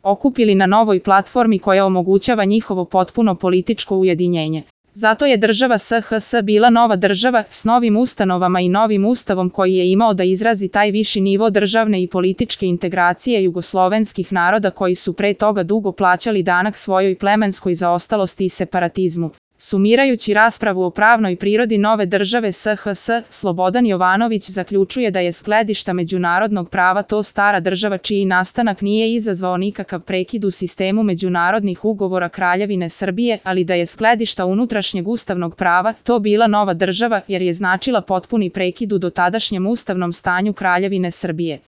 okupili na novoj platformi koja omogućava njihovo potpuno političko ujedinjenje. Zato je država SHS bila nova država s novim ustanovama i novim ustavom koji je imao da izrazi taj viši nivo državne i političke integracije jugoslovenskih naroda koji su pre toga dugo plaćali danak svojoj plemenskoj zaostalosti i separatizmu. Sumirajući raspravu o pravnoj prirodi nove države SHS, Slobodan Jovanović zaključuje da je s gledišta međunarodnog prava to stara država čiji nastanak nije izazvao nikakav prekid u sistemu međunarodnih ugovora Kraljevine Srbije, ali da je s gledišta unutrašnjeg ustavnog prava to bila nova država jer je značila potpuni prekid u dotadašnjem ustavnom stanju Kraljevine Srbije.